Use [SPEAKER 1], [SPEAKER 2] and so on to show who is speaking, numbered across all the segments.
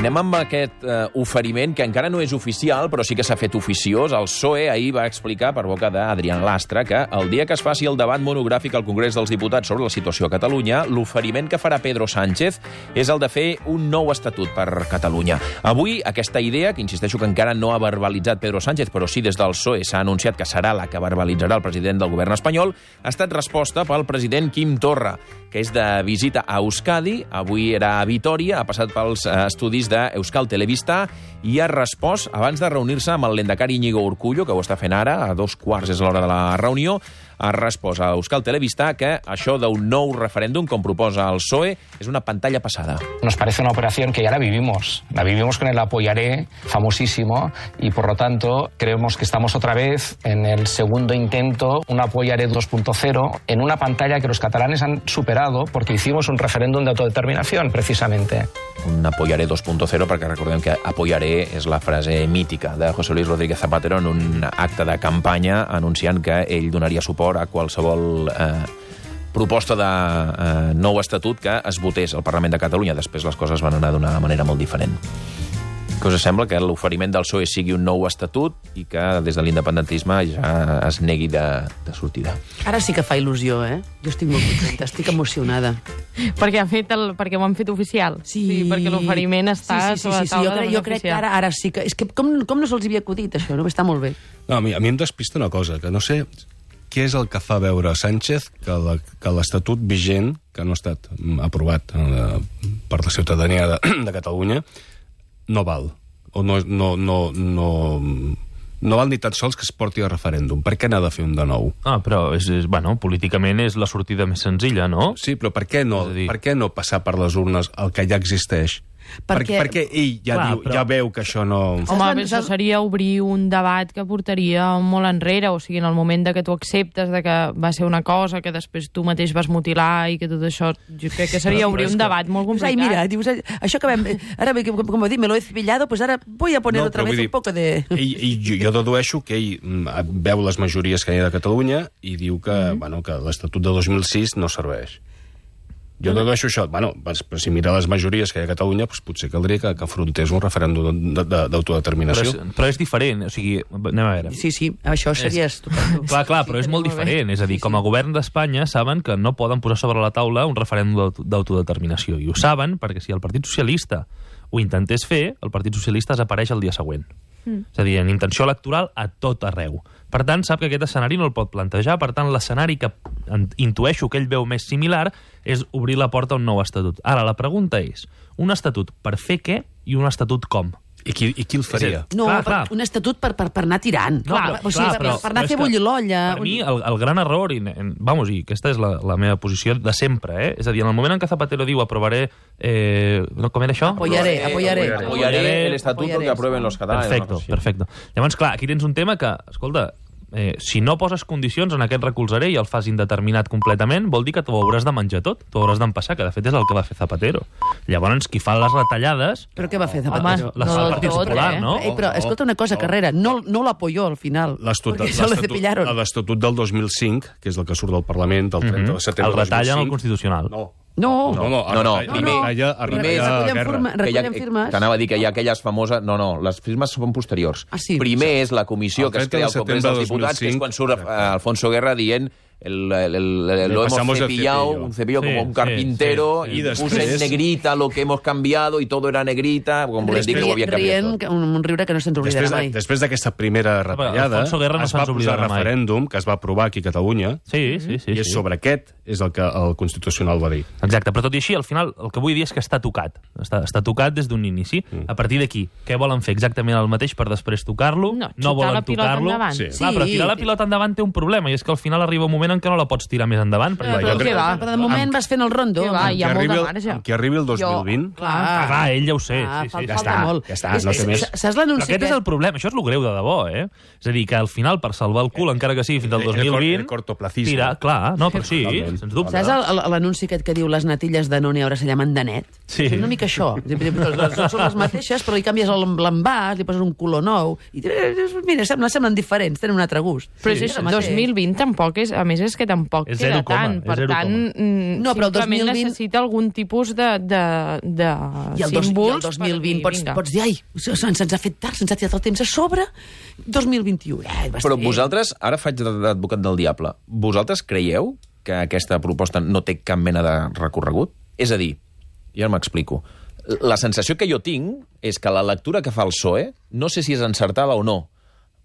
[SPEAKER 1] Comencem amb aquest oferiment, que encara no és oficial, però sí que s'ha fet oficiós. El PSOE ahir va explicar, per boca d'Adrián Lastra, que el dia que es faci el debat monogràfic al Congrés dels Diputats sobre la situació a Catalunya, l'oferiment que farà Pedro Sánchez és el de fer un nou estatut per Catalunya. Avui, aquesta idea, que insisteixo que encara no ha verbalitzat Pedro Sánchez, però sí des del PSOE s'ha anunciat que serà la que verbalitzarà el president del govern espanyol, ha estat resposta pel president Quim Torra, que és de visita a Euskadi. Avui era a Vitoria, ha passat pels estudis d'Euskal Telebista i ha respost, abans de reunir-se amb el lehendakari Íñigo Urkullu, que ho està fent ara, a 2:15 és l'hora de la reunió, ha respost a Euskal Telebista que això d'un nou referèndum, com proposa el PSOE, és una pantalla passada.
[SPEAKER 2] Nos parece una operación que ya la vivimos con el apoyaré famosísimo y por lo tanto creemos que estamos otra vez en el segundo intento, un apoyaré 2.0, en una pantalla que los catalanes han superado porque hicimos un referéndum de autodeterminación, precisamente.
[SPEAKER 1] Un apoyaré 2.0, perquè recordem que apoyaré és la frase mítica de José Luis Rodríguez Zapatero en un acte de campanya anunciant que ell donaria suport a qualsevol proposta de nou estatut que es votés al Parlament de Catalunya. Després les coses van anar d'una manera molt diferent. Què us sembla que l'oferiment del PSOE sigui un nou estatut i que des de l'independentisme ja es negui de sortida?
[SPEAKER 3] Ara sí que fa il·lusió, eh? Jo estic molt contenta, estic emocionada.
[SPEAKER 4] Perquè ho han fet oficial. Sí, perquè l'oferiment està sobre la taula.
[SPEAKER 3] Jo crec que ara sí que... És que com no se'ls havia acudit, això? No? Està molt bé.
[SPEAKER 5] No, a mi em despista una cosa, que no sé què és el que fa veure Sánchez que l'estatut vigent, que no ha estat aprovat per la ciutadania de Catalunya, no val. O no val ni tan sols que es porti a referèndum. Per què n'ha de fer un de nou?
[SPEAKER 6] Però, políticament és la sortida més senzilla, no?
[SPEAKER 5] Sí, però per què no passar per les urnes el que ja existeix? Perquè ell ja veu que això no...
[SPEAKER 4] Home, això seria obrir un debat que portaria molt enrere, o sigui, en el moment de que tu acceptes de que va ser una cosa que després tu mateix vas mutilar i que tot això... Jo crec que seria obrir un debat molt complicat.
[SPEAKER 3] Ai, mira, dius, això que vam... Ara, com ho dic, me lo he cepillado, pues ara voy a poner otra vez un poco de...
[SPEAKER 5] Jo dedueixo que ell veu les majories que hi ha de Catalunya i diu que l'Estatut de 2006 no serveix. Jo dedueixo això. Però si mira les majories que hi ha a Catalunya, potser caldria que afrontés un referèndum d'autodeterminació.
[SPEAKER 6] Però és diferent, o sigui, anem a veure.
[SPEAKER 3] Sí, això seria estupendo.
[SPEAKER 6] Clar, però és molt diferent. És a dir, com a govern d'Espanya saben que no poden posar sobre la taula un referèndum d'autodeterminació. I ho saben perquè si el Partit Socialista ho intentés fer, el Partit Socialista desapareix el dia següent. És a dir, en intenció electoral a tot arreu. Per tant, sap que aquest escenari no el pot plantejar. Per tant, l'escenari que intueixo que ell veu més similar és obrir la porta a un nou estatut. Ara, la pregunta és, un estatut per fer què i un estatut com?
[SPEAKER 5] I qui el faria?
[SPEAKER 3] No, un estatut per anar tirant. Per anar a fer bullir l'olla.
[SPEAKER 6] Per mi, el gran error, i aquesta és la meva posició de sempre, és a dir, en el moment en què Zapatero diu aprovaré... Com era això?
[SPEAKER 1] Apoyaré el estatuto que aprueben los catalanes.
[SPEAKER 6] Perfecte. Llavors, clar, aquí tens un tema que, escolta, si no poses condicions en aquest recolzaré i el fas indeterminat completament, vol dir que t'ho hauràs de menjar tot, t'ho hauràs d'empassar, que de fet és el que va fer Zapatero. Llavors, qui fa les retallades...
[SPEAKER 3] Però què va fer Zapatero?
[SPEAKER 6] Les fa el Partit Popular, no?
[SPEAKER 3] Però escolta una cosa, Carrera, no l'apoyó al final, perquè se la cepillaron.
[SPEAKER 5] L'Estatut del 2005, que és el que surt del Parlament el 30 de setembre
[SPEAKER 6] del 2005... El retallen al Constitucional.
[SPEAKER 3] No.
[SPEAKER 1] Recullen firmes. T'anava a dir que hi ha aquelles famoses... No, les firmes són posteriors. Primer és la comissió que es crea al Congrés dels Diputats, que és quan surt Alfonso Guerra dient lo hemos cepillado, un cepillo como un carpintero, y puse en negrita lo que hemos cambiado y todo era negrita, com volem dir que ho havia canviat tot.
[SPEAKER 3] Un riure que no se'ns oblidarà mai.
[SPEAKER 5] Després d'aquesta primera retallada, es va posar referèndum que es va aprovar aquí a Catalunya, i és sobre aquest és el que el Constitucional va dir.
[SPEAKER 6] Exacte, però tot i així, al final, el que vull dir és que està tocat. Està tocat des d'un inici. A partir d'aquí, què volen fer? Exactament el mateix per després tocar-lo? No volen tocar-lo? Clar, però tirar la pilota endavant té un problema, i és que al final arriba un moment en què no la pots tirar més endavant.
[SPEAKER 3] Però de moment vas fent el rondo.
[SPEAKER 4] Hi ha molt de marge.
[SPEAKER 5] Amb qui arribi el 2020...
[SPEAKER 6] Clar, ell ja ho sé.
[SPEAKER 3] Ja està, no té més. Saps l'anunci?
[SPEAKER 6] Aquest és el problema, això és el greu de debò, És a dir, que al final, per salvar el cul, encara que sigui fins al 2020... Tira, clar, no, però sí, sens dubte.
[SPEAKER 3] Saps l'anunci aquest que diu les natilles de Noni ara se llamen de net? És una mica això. Són les mateixes, però hi canvies l'envàs, li poses un color nou, i mira, semblen diferents, tenen un altre gust.
[SPEAKER 4] Però 2020 tampoc és... A més, més és que tampoc
[SPEAKER 6] És
[SPEAKER 4] queda
[SPEAKER 6] 0,
[SPEAKER 4] tant.
[SPEAKER 6] és
[SPEAKER 4] Per
[SPEAKER 6] 0,
[SPEAKER 4] tant,
[SPEAKER 3] No, però el
[SPEAKER 4] simplement
[SPEAKER 3] 2020
[SPEAKER 4] necessita algun tipus de
[SPEAKER 3] I el
[SPEAKER 4] símbols.
[SPEAKER 3] 2020 pots dir, ai, se'ns ha fet tard, se'ns ha tirat el temps a sobre, 2021.
[SPEAKER 1] Però vosaltres, ara faig d'advocat del diable, vosaltres creieu que aquesta proposta no té cap mena de recorregut? És a dir, ja m'explico, la sensació que jo tinc és que la lectura que fa el PSOE, no sé si és encertada o no,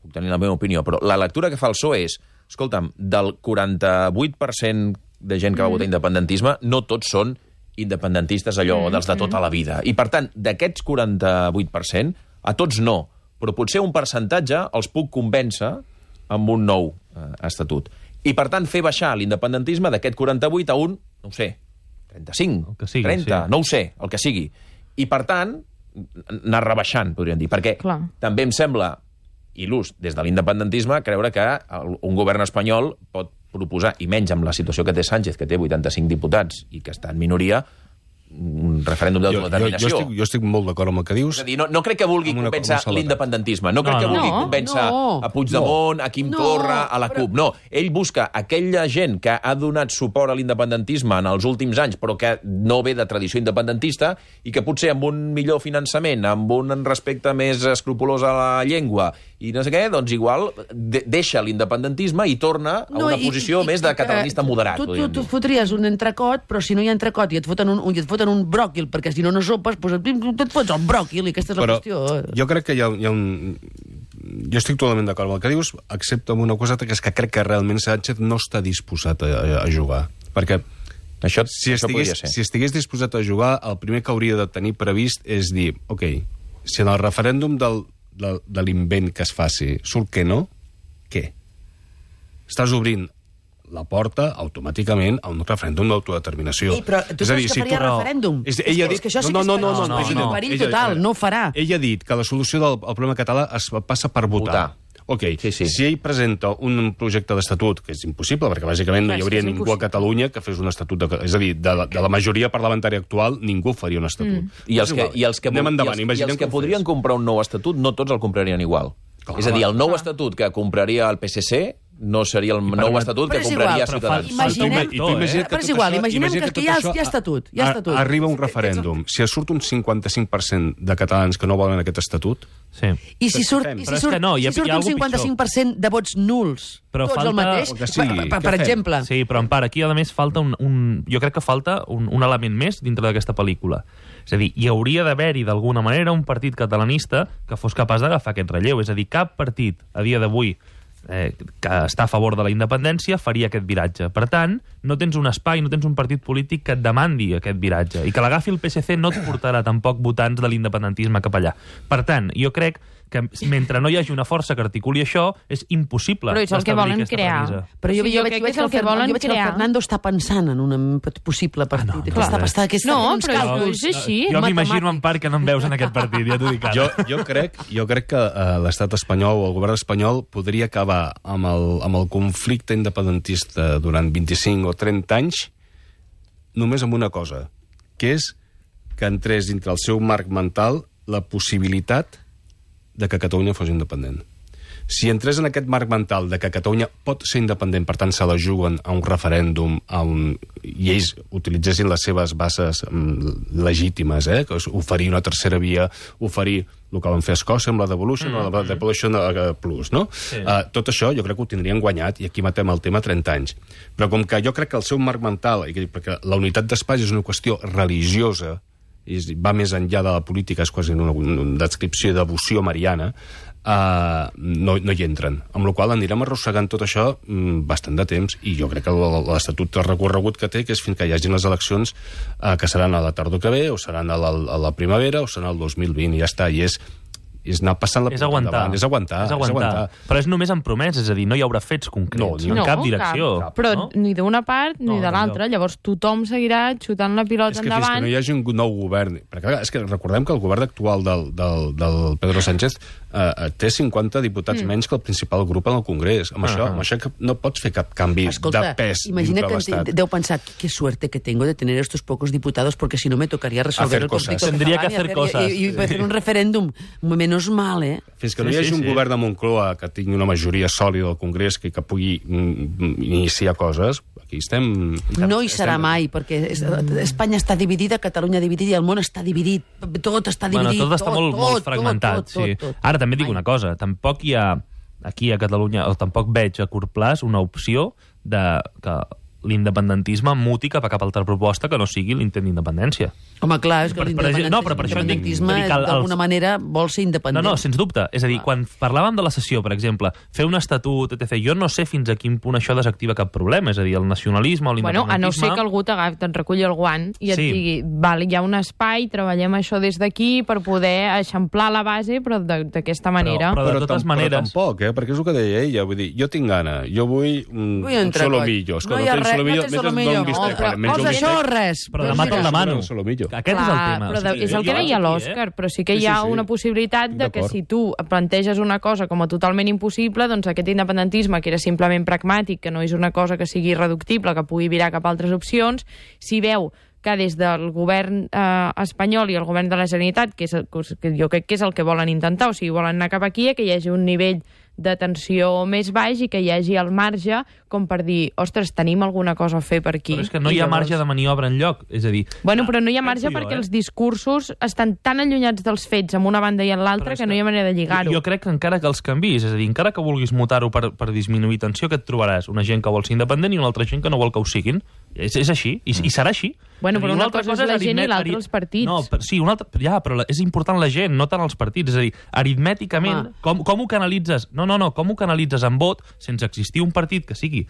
[SPEAKER 1] puc tenir la meva opinió, però la lectura que fa el PSOE és, escolta'm, del 48% de gent que va votar independentisme, no tots són independentistes allò dels de tota la vida. I, per tant, d'aquests 48%, a tots no, però potser un percentatge els puc convèncer amb un nou estatut. I, per tant, fer baixar l'independentisme d'aquest 48 a un, no ho sé, 35,
[SPEAKER 6] que sigui,
[SPEAKER 1] 30,
[SPEAKER 6] sí.
[SPEAKER 1] no ho sé, el que sigui. I, per tant, anar rebaixant, podríem dir, perquè també em sembla il·lús des de l'independentisme creure que un govern espanyol pot proposar, i menys amb la situació que té Sánchez, que té 85 diputats i que està en minoria, un referèndum d'autodeterminació.
[SPEAKER 5] Jo estic molt d'acord amb el que dius.
[SPEAKER 1] És a dir, no crec que vulgui convèncer l'independentisme, no crec que vulgui convèncer a Puigdemont, a Quim Torra, a la CUP. No, ell busca aquella gent que ha donat suport a l'independentisme en els últims anys, però que no ve de tradició independentista i que potser amb un millor finançament, amb un respecte més escrupolós a la llengua i no sé què, doncs igual deixa l'independentisme i torna a una posició més de catalanista moderat.
[SPEAKER 3] Tu fotries un entrecot, però si no hi ha entrecot i et foten un bròquil, perquè si no sopes, doncs et fots el bròquil, i aquesta és la qüestió.
[SPEAKER 5] Jo crec que hi ha un... Jo estic totalment d'acord amb el que dius, excepte amb una coseta, que és que crec que realment Sánchez no està disposat a jugar. Perquè si estigués disposat a jugar, el primer que hauria de tenir previst és dir, ok, si en el referèndum de l'invent que es faci surt que no, què? Estàs obrint la porta automàticament a un referèndum d'autodeterminació.
[SPEAKER 3] Però tu saps que faria referèndum? És que això sí que és en perill total, no ho farà.
[SPEAKER 5] Ell ha dit que la solució del problema català es passa per votar. Ok, si ell presenta un projecte d'estatut, que és impossible, perquè bàsicament no hi hauria ningú a Catalunya que fes un estatut, és a dir, de la majoria parlamentària actual, ningú faria un estatut.
[SPEAKER 1] I els que podrien comprar un nou estatut, no tots el comprarien igual. És a dir, el nou estatut que compraria el PSC no seria el nou estatut que compraria Ciutadans.
[SPEAKER 3] Però és igual, imaginem que hi ha estatut.
[SPEAKER 5] Arriba un referèndum. Si surt un 55% de catalans que no volen aquest estatut...
[SPEAKER 3] I si surt un 55% de vots nuls, tots el mateix, per exemple.
[SPEAKER 6] Sí, però Empar, aquí a més falta jo crec que falta un element més dintre d'aquesta pel·lícula. És a dir, hi hauria d'haver-hi d'alguna manera un partit catalanista que fos capaç d'agafar aquest relleu. És a dir, cap partit a dia d'avui que està a favor de la independència faria aquest viratge. Per tant, no tens un espai, no tens un partit polític que et demandi aquest viratge. I que l'agafi el PSC no et portarà tampoc votants de l'independentisme cap allà. Per tant, jo crec que mentre no hi hagi una força que articuli això, és impossible establir aquesta premissa.
[SPEAKER 3] Però jo veig que el Fernando està pensant en un possible partit.
[SPEAKER 4] No, però és així.
[SPEAKER 6] Jo m'imagino, Empar, que no em veus en aquest partit, ja t'ho dic ara.
[SPEAKER 5] Jo crec que l'estat espanyol o el govern espanyol podria acabar amb el conflicte independentista durant 25 o 30 anys només amb una cosa, que és que entrés dintre el seu marc mental la possibilitat de que Catalunya fos independent. Si entrés en aquest marc mental de que Catalunya pot ser independent, per tant se la juguen a un referèndum, i ells utilitzessin les seves bases legítimes, que és oferir una tercera via, oferir el que van fer a Escòcia amb la Devolution o la Devolution Plus, no? Tot això jo crec que ho tindrien guanyat, i aquí matem el tema 30 anys. Però com que jo crec que el seu marc mental, perquè la unitat d'espai és una qüestió religiosa, va més enllà de la política, és quasi una descripció de devoció mariana, no hi entren. Amb la qual cosa anirem arrossegant tot això bastant de temps, i jo crec que l'Estatut de recorregut que té, que és fins que hi hagin les eleccions, que seran a la tardor que ve, o seran a la primavera, o seran al 2020, i ja està, i és anar passant la pilota endavant. És aguantar.
[SPEAKER 6] Però és només en promeses, és a dir, no hi haurà fets concrets, en cap direcció.
[SPEAKER 4] Però ni d'una part ni de l'altra. Llavors tothom seguirà xutant la pilota endavant.
[SPEAKER 5] És que fins que no hi hagi un nou govern... Perquè és que recordem que el govern actual del Pedro Sánchez té 50 diputats menys que el principal grup en el Congrés. Amb això que no pots fer cap canvi de pes
[SPEAKER 3] imagina
[SPEAKER 5] dintre
[SPEAKER 3] que
[SPEAKER 5] l'Estat.
[SPEAKER 3] deu pensar, qué suerte que tengo de tener estos pocos diputados, porque si no me tocaría resolver el conflicto
[SPEAKER 6] Tendría que
[SPEAKER 3] catalán
[SPEAKER 6] hacer cosas.
[SPEAKER 3] y hacer un referéndum. Menos mal, ¿eh?
[SPEAKER 5] Fins que no hi hagi un govern de Moncloa que tingui una majoria sòlida al Congrés que pugui iniciar coses, aquí estem...
[SPEAKER 3] No hi serà mai, perquè Espanya està dividida, Catalunya dividida i el món està dividit. Tot està dividit.
[SPEAKER 6] Tot està molt fragmentat. Ara també dic una cosa, tampoc hi ha aquí a Catalunya, o tampoc veig a curt plaç una opció de que l'independentisme muti cap a cap altra proposta que no sigui l'intent d'independència.
[SPEAKER 3] Home, clar, és que l'independentisme d'alguna manera vol ser independent.
[SPEAKER 6] No, sens dubte. És a dir, quan parlàvem de la secessió, per exemple, fer un estatut, etc., jo no sé fins a quin punt això desactiva cap problema. És a dir, el nacionalisme o l'independentisme...
[SPEAKER 4] Bueno, a no ser que algú te'n reculli el guant i et digui, val, hi ha un espai, treballem això des d'aquí per poder eixamplar la base, però d'aquesta manera.
[SPEAKER 6] Però de totes maneres...
[SPEAKER 5] Però tampoc, perquè és el que deia ella. Vull dir, jo tinc gana, jo vull un solomillo.
[SPEAKER 3] No hi ha res, no té solomillo. Posa això o res.
[SPEAKER 6] Però demà te'l demano. Aquest és el tema.
[SPEAKER 4] Però és el que deia l'Òscar, però sí que hi ha una possibilitat de que si tu planteges una cosa com a totalment impossible, doncs aquest independentisme, que era simplement pragmàtic, que no és una cosa que sigui irreductible, que pugui virar cap a altres opcions, si veu que des del govern espanyol i el govern de la Generalitat, que jo crec que és el que volen intentar, o sigui, volen anar cap aquí, que hi hagi un nivell de tensió més baix i que hi hagi el marge com per dir, ostres, tenim alguna cosa a fer per aquí.
[SPEAKER 6] Però és que no hi ha marge de maniobra enlloc. És a dir...
[SPEAKER 4] Bueno, però no hi ha marge perquè els discursos estan tan allunyats dels fets amb una banda i en l'altra que no hi ha manera de lligar-ho.
[SPEAKER 6] Jo crec que encara que els canvis, és a dir, encara que vulguis mutar-ho per disminuir tensió, que et trobaràs una gent que vol ser independent i una altra gent que no vol que ho siguin. És així, i serà així.
[SPEAKER 4] Bueno, però una cosa és la gent i l'altra els partits.
[SPEAKER 6] No, sí, però és important la gent, no tant els partits. És a dir, aritmèticament, com ho canalitzes? No, com ho canalitzes en vot sense existir un partit que sigui,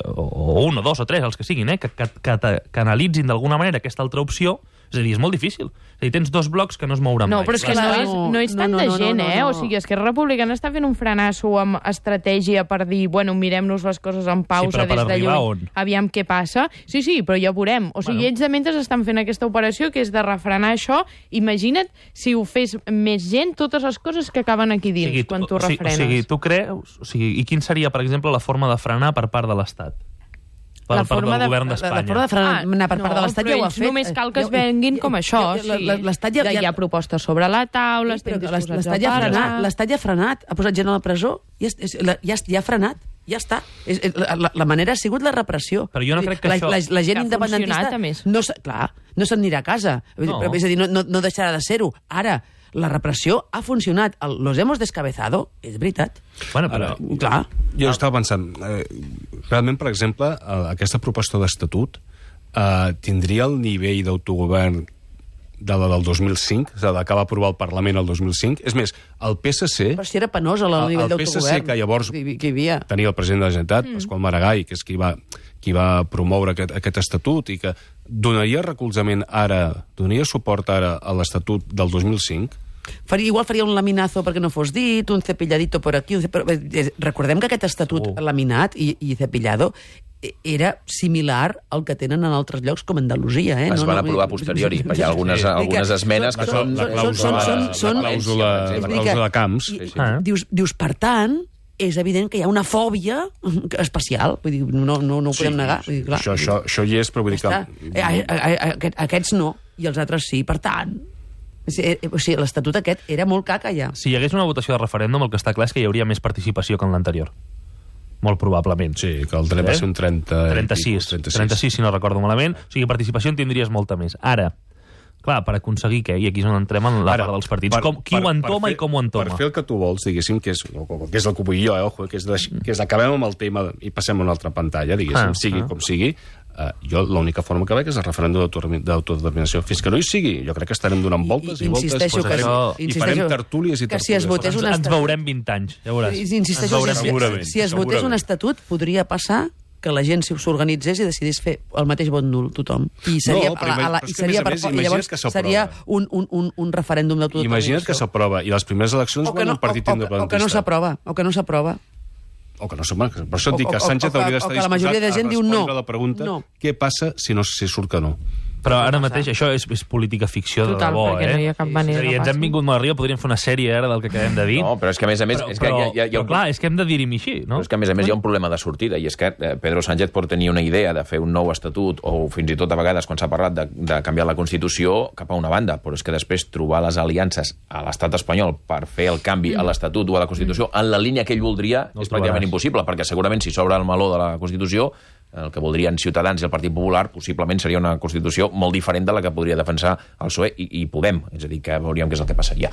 [SPEAKER 6] o un, o dos, o tres, els que siguin, que canalitzin d'alguna manera aquesta altra opció. És a dir, és molt difícil. És a dir, tens dos blocs que no es mouran mai.
[SPEAKER 4] No, però és que no és tanta gent, eh? O sigui, Esquerra Republicana està fent un frenasso amb estratègia per dir, bueno, mirem-nos les coses en pausa des de lluny, aviam què passa. Sí, però ja ho veurem. O sigui, ells de mentre estan fent aquesta operació, que és de refrenar això. Imagina't si ho fes més gent, totes les coses que acaben aquí dins, quan tu refrenes.
[SPEAKER 6] O sigui, tu creus... I quin seria, per exemple, la forma de frenar per part de l'Estat? Per part del govern d'Espanya.
[SPEAKER 3] La forma de frenar per part de l'Estat ja ho ha fet.
[SPEAKER 4] Només cal que es venguin com això. Hi ha propostes sobre la taula, estem disposats a parlar...
[SPEAKER 3] L'Estat ja ha frenat, ha posat gent a la presó, ja ha frenat. Ja està. La manera ha sigut la repressió.
[SPEAKER 6] Però jo no crec que això...
[SPEAKER 3] La gent independentista... Clar, no se'n anirà a casa. És a dir, no deixarà de ser-ho. Ara, la repressió ha funcionat. Los hemos descabezado, és veritat.
[SPEAKER 6] Bueno, però...
[SPEAKER 3] Clar.
[SPEAKER 5] Jo estava pensant, realment, per exemple, aquesta proposta d'estatut tindria el nivell d'autogovern de la del 2005, és a dir, que va aprovar el Parlament el 2005. És més, el PSC...
[SPEAKER 3] Però si era penós el nivell d'autogovern.
[SPEAKER 5] El PSC, que llavors tenia el president de la Generalitat, Pasqual Maragall, que és qui va promoure aquest estatut i que donaria recolzament ara, donaria suport ara a l'estatut del 2005.
[SPEAKER 3] Igual faria un laminazo perquè no fos dit, un cepilladito por aquí... Recordem que aquest estatut laminat i cepillado era similar al que tenen en altres llocs com Andalusia.
[SPEAKER 1] Es van aprovar a posteriori. Hi ha algunes esmenes que són...
[SPEAKER 5] La clàusula de Camps.
[SPEAKER 3] Dius, per tant, és evident que hi ha una fòbia especial. Vull dir, no ho podem negar.
[SPEAKER 5] Això hi és, però vull dir que...
[SPEAKER 3] Aquests no, i els altres sí. Per tant... O sigui, l'estatut aquest era molt caca ja.
[SPEAKER 6] Si hi hagués una votació de referèndum, el que està clar és que hi hauria més participació que en l'anterior. Molt probablement.
[SPEAKER 5] Sí, que el dret va ser un
[SPEAKER 6] 36, si no recordo malament. O sigui, participació en tindries molta més. Ara, clar, per aconseguir què? I aquí és on entrem en la part dels partits. Qui ho entoma i com ho entoma?
[SPEAKER 5] Per fer el que tu vols, diguéssim, que és el que vull jo, que és acabem amb el tema i passem a una altra pantalla, diguéssim, sigui com sigui. Jo l'única forma que veig és el referèndum d'autodeterminació. Fins que no hi sigui, jo crec que estarem donant voltes i voltes i farem tertúlies i tertúlies.
[SPEAKER 6] Ens veurem 20 anys, ja veuràs.
[SPEAKER 3] Si es votés un estatut, podria passar que la gent s'organitzés i decidís fer el mateix vot nul, tothom. I llavors seria un referèndum d'autodeterminació.
[SPEAKER 5] Imagina't que s'aprova i les primeres eleccions guanya un partit independentista.
[SPEAKER 3] O que no s'aprova.
[SPEAKER 5] Per això et dic que Sánchez hauria d'estar disposat a respondre la pregunta què passa si surt que no.
[SPEAKER 6] Però ara mateix això és política ficció de debò,
[SPEAKER 4] perquè no hi ha cap manera
[SPEAKER 6] ens hem vingut molt arriba, podríem fer una sèrie ara del que acabem de dir.
[SPEAKER 1] No, però és que a més...
[SPEAKER 6] Però clar, és que hem de dir-hi així, no?
[SPEAKER 1] Però és que a més hi ha un problema de sortida, i és que Pedro Sánchez pot tenir una idea de fer un nou estatut, o fins i tot a vegades, quan s'ha parlat de canviar la Constitució, cap a una banda, però és que després trobar les aliances a l'estat espanyol per fer el canvi a l'Estatut o a la Constitució en la línia que ell voldria és pràcticament impossible, perquè segurament si s'obre el meló de la Constitució, el que voldrien Ciutadans i el Partit Popular possiblement seria una Constitució molt diferent de la que podria defensar el PSOE i Podem, és a dir, que veuríem què és el que passaria.